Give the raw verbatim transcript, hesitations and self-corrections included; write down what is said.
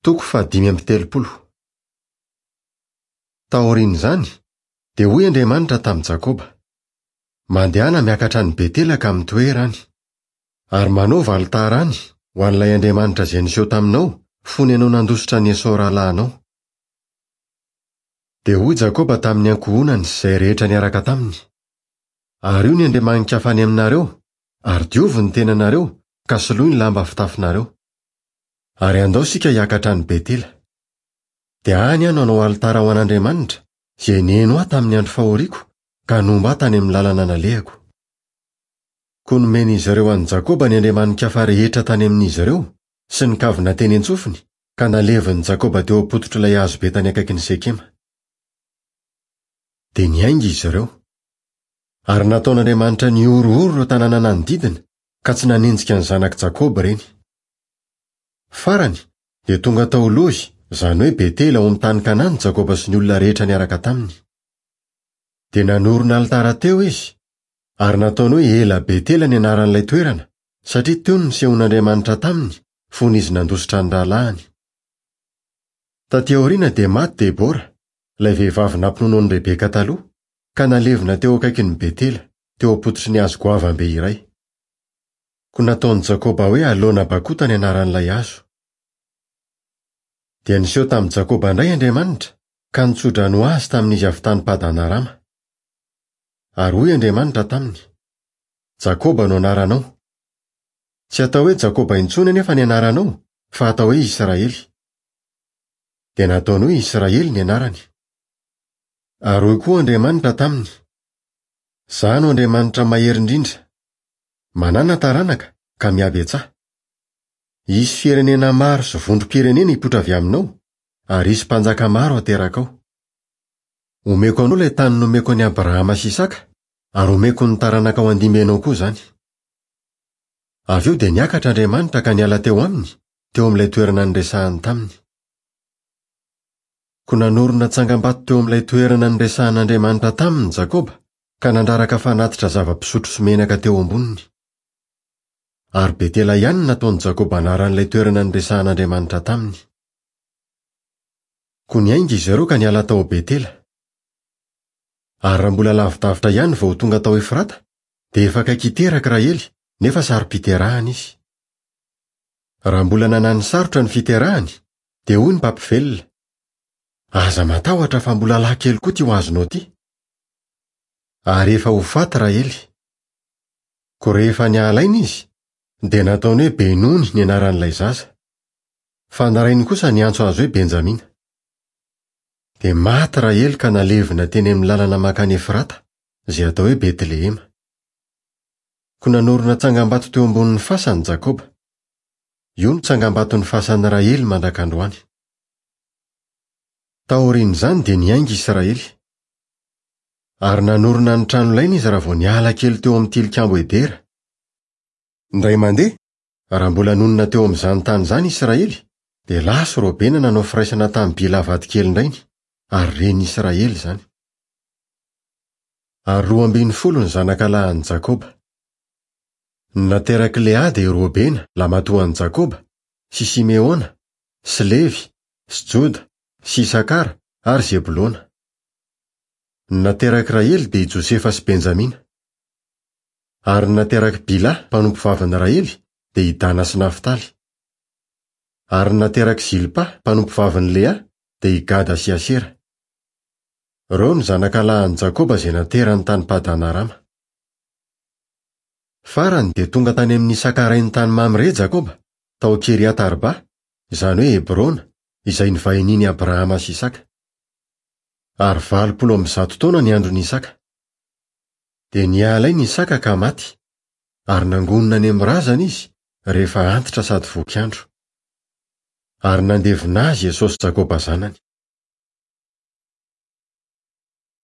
Toko fahadimy amby telopolo. Taorian'izany, dia hoy Andriamanitra tamin'i Jakoba: Mandehana miakatra any Betela ka mitoera any, ary manaova alitara any ho an'ilay Andriamanitra izay niseho taminao fony ianao nandositra an'i Esao rahalahinao. Dia hoy Jakoba tamin'ny ankohonany sy izay rehetra niaraka taminy: Ario ny andriamani-kafa any aminareo, ary diovy ny tenanareo ka soloy ny lamba fitafinareo. Ary andao isika hiakatra any Betela. Dia any aho no hanao alitara ho an'Andriamanitra, izay niheno ahy tamin'ny andro fahoriako, ka nomba ahy tany amin'ny lalana nalehako. Koa nomen'izy ireo an'i Jakoba ny andriamani-kafa rehetra tany amin'izy ireo, sy ny kavina teny an-tsofiny, ka nalevin'i Jakoba teo am-pototr'ilay hazo be tany akaikin'i Sekema. Dia niainga izy ireo. Ary nataon'Andriamanitra nihorohoro ireo tanàna nanodidina, ka tsy nanenjika ny zanak'i Jakoba ireny. Farany, dia tonga tao Lozy, izany hoe Betela ao amin'ny tany Kanana Jakoba sy ny olona rehetra niaraka taminy. Dia nanorina alitara teo izy, ary nataony hoe Ela Betela ny anaran'ilay toerana, satria teo no nisehon'Andriamanitra taminy fony izy nandositra ny rahalahiny. Taty aoriana dia maty Debora, ilay vehivavy nampinono an'i Rebeka taloha, ka nalevina teo akaikin'i Betela, teo am-pototry ny hazo goavambe iray. Koa nataon'i Jakoba hoe Alona Bakota ny anaran'ilay hazo. Dia niseho tamin'i Jakoba indray Andriamanitra, ka nitsodrano azy tamin'izy avy tany Padanarama. Ary hoy Andriamanitra taminy: Jakoba no anaranao. Tsy atao hoe Jakoba intsony anefa ny anaranao, fa atao hoe Israely. Dia nataony hoe Israely ny anarany. Ary hoy koa Andriamanitra taminy: Izaho no Andriamanitra mahery indrindra. Manana taranaka ka mihabetsaha. Hisy firenena maro sy vondrom-pirenena hipoitra avy aminao, ary hisy mpanjaka maro haterakao. Omeko anao ilay tany nomeko an'i Abrahama sy Isaka, ary omeko ny taranakao handimby anao koa izany. Avy eo dia niakatra Andriamanitra ka niala teo aminy, teo amin'ilay toerana niresahany taminy. Koa nanorina tsangambato teo amin'ilay toerana niresahan'Andriamanitra taminy Jakoba, ka nandraraka fanatitra zava-pisotro sy menaka teo amboniny. Ary Betela ihany no nataon'i Jakoba anaran'ilay toerana niresahan'Andriamanitra taminy. Koa niainga izy ireo ka niala tao Betela. Ary raha mbola lavidavitra ihany vao tonga tao Efrata, dia efa akaiky hiteraka Rahely, nefa saro-piterahana izy. Raha mbola nanany sarotra ny fiterahany, dia hoy ny mpampivelona: Aza matahotra fa mbola lahy kely koa ty ho azonao ty. Ary efa ho faty Rahely. Koa rehefa niala aina izy, dia nataony hoe Benony ny anaran'ilay zaza. Fa ny rainy kosa niantso azy hoe Benjamina. Dia maty Rahely ka nalevina teny amin'ny lalana mankany Efrata, izay atao hoe Betlehema. Koa nanorina tsangambato teo ambonin'ny fasany Jakoba. Io no tsangambaton'ny fasan'i Rahely mandrak'androany. Taorian'izany dia niainga Israely. Ary nanorina ny tranolainy izy raha vao niala kely teo amin'ny tilikambo Edera. Indray mandeha, raha mbola nonina teo amin'izany tany izany Israely, dia lasa Robena nanao firaisana tamin'i Bila vadikely-ndrainy, ary ren'i Israely izany. Ary roa ambin'ny folo ny zanaka lahin'i Jakoba. Ny naterak'i Lea dia Robena, lamatoan'i Jakoba, sy Simeona, sy Levy, sy Joda, sy Isakara ary Zebolona. Ny naterak'i Rahely dia i Josefa sy Benjamina. Ary ny naterak'i Bila, mpanompovavin'i Rahely, dia i Dana sy Naftaly. Ary ny naterak'i Zilpa, mpanompovavin'i Lea, dia i Gada sy Asera. Ireo no zanaka lahin'i Jakoba izay naterany tany Padanarama. Farany dia tonga tany amin'ny Isaka rainy tany Mamre Jakoba, tao Kiriat Arba, izany hoe Hebrona, izay nivahinian'i Abrahama sy Isaka. Ary valopolo amby zato taona ny andron'i Isaka. Dia niala aina Isaka ka maty, ary nangonina any amin'ny razana izy rehefa antitra sady voky andro. Ary nandevina azy Esao sy Jakoba zanany.